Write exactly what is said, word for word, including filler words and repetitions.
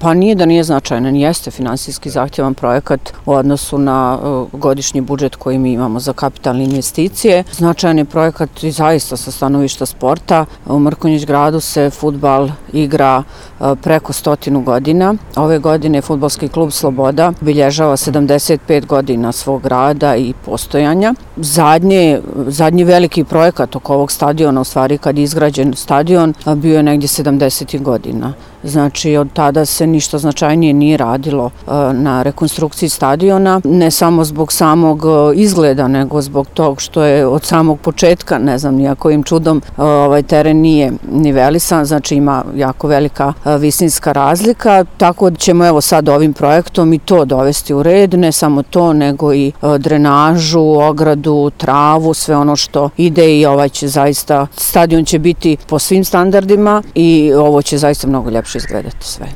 Pa nije da nije značajan, jeste finansijski zahtjevan projekat u odnosu na godišnji budžet koji mi imamo za kapitalne investicije. Značajan je projekat i zaista sa stanovišta sporta. U Mrkonjić gradu se fudbal igra preko stotinu godina. Ove godine Fudbalski klub Sloboda obilježava sedamdeset pet godina svog rada i postojanja. Zadnji, zadnji veliki projekat oko ovog stadiona, u stvari kad je izgrađen stadion, bio je negdje sedamdesetih godina. Znači, od tada se ništa značajnije nije radilo na rekonstrukciji stadiona, ne samo zbog samog izgleda, nego zbog tog što je od samog početka, ne znam nijakojim čudom, ovaj teren nije nivelisan, znači ima jako velika visinska razlika, tako da ćemo evo sad ovim projektom i to dovesti u red, ne samo to, nego i drenažu, ogradu, travu, sve ono što ide i ovaj će zaista, stadion će biti po svim standardima i ovo će zaista mnogo ljepše izgledati sve.